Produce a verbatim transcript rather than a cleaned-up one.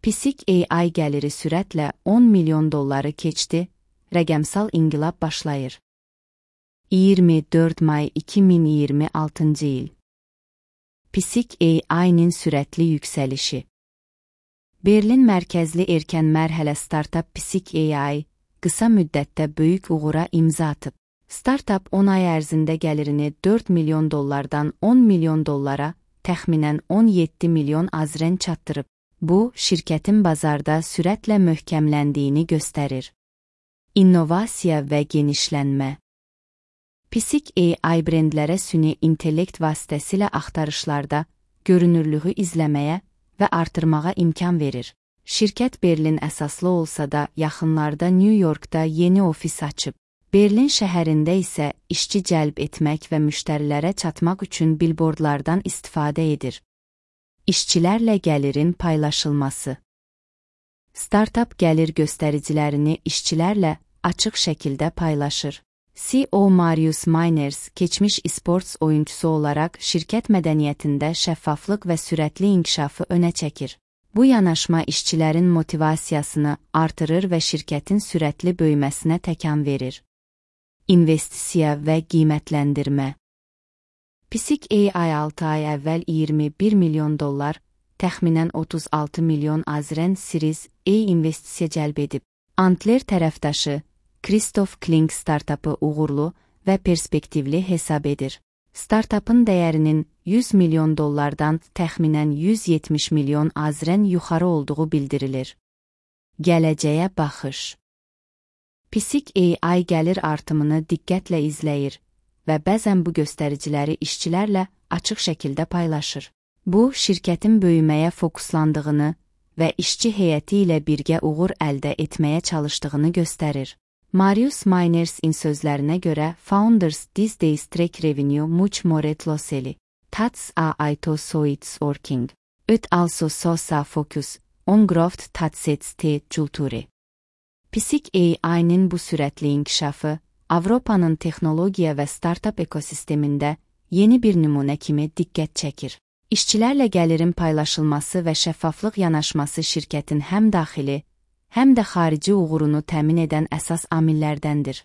Pisik A I gəliri sürətlə on milyon dolları keçdi, rəqəmsal inqilab başlayır. iyirmi dörd may iki min iyirmi altıncı il. Pisik A I-nin sürətli yüksəlişi. Berlin mərkəzli erkən mərhələ startap Pisik A I, qısa müddətdə böyük uğura imza atıb. Startap on ay ərzində gəlirini dörd milyon dollardan on milyon dollara, təxminən on yeddi milyon azren çatdırıb. Bu, şirkətin bazarda sürətlə möhkəmləndiyini göstərir. İnnovasiya və genişlənmə. Pisik A I brendlərə süni intellekt vasitəsilə axtarışlarda görünürlüğü izləməyə və artırmağa imkan verir. Şirkət Berlin əsaslı olsa da yaxınlarda New Yorkda yeni ofis açıb. Berlin şəhərində isə işçi cəlb etmək və müştərilərə çatmaq üçün bilbordlardan istifadə edir. İşçilərlə gəlirin paylaşılması. Startap gəlir göstəricilərini işçilərlə açıq şəkildə paylaşır. C E O Marius Miners, keçmiş e-sports oyuncusu olaraq şirkət mədəniyyətində şəffaflıq və sürətli inkişafı önə çəkir. Bu yanaşma işçilərin motivasiyasını artırır və şirkətin sürətli böyüməsinə təkan verir. İnvestisiya və qiymətləndirmə. Pisik A I altı ay əvvəl iyirmi bir milyon dollar, təxminən otuz altı milyon azren Series A investisiya cəlb edib. Antler tərəfdaşı, Christoph Kling startapı uğurlu və perspektivli hesab edir. Startapın dəyərinin yüz milyon dollardan təxminən yüz yetmiş milyon azren yuxarı olduğu bildirilir. Gələcəyə baxış. Pisik A I gəlir artımını diqqətlə izləyir və bəzən bu göstəriciləri işçilərlə açıq şəkildə paylaşır. Bu, şirkətin böyüməyə fokuslandığını və işçi heyəti ilə birgə uğur əldə etməyə çalışdığını göstərir. Marius Miners'in sözlərinə görə Founders these days track revenue much more closely. That's a ito so it's working. It also shows a focus on growth that sets the culture. Pisik A I-nin bu sürətli inkişafı Avropanın texnologiya və startap ekosistemində yeni bir nümunə kimi diqqət çəkir. İşçilərlə gəlirin paylaşılması və şəffaflıq yanaşması şirkətin həm daxili, həm də xarici uğurunu təmin edən əsas amillərdəndir.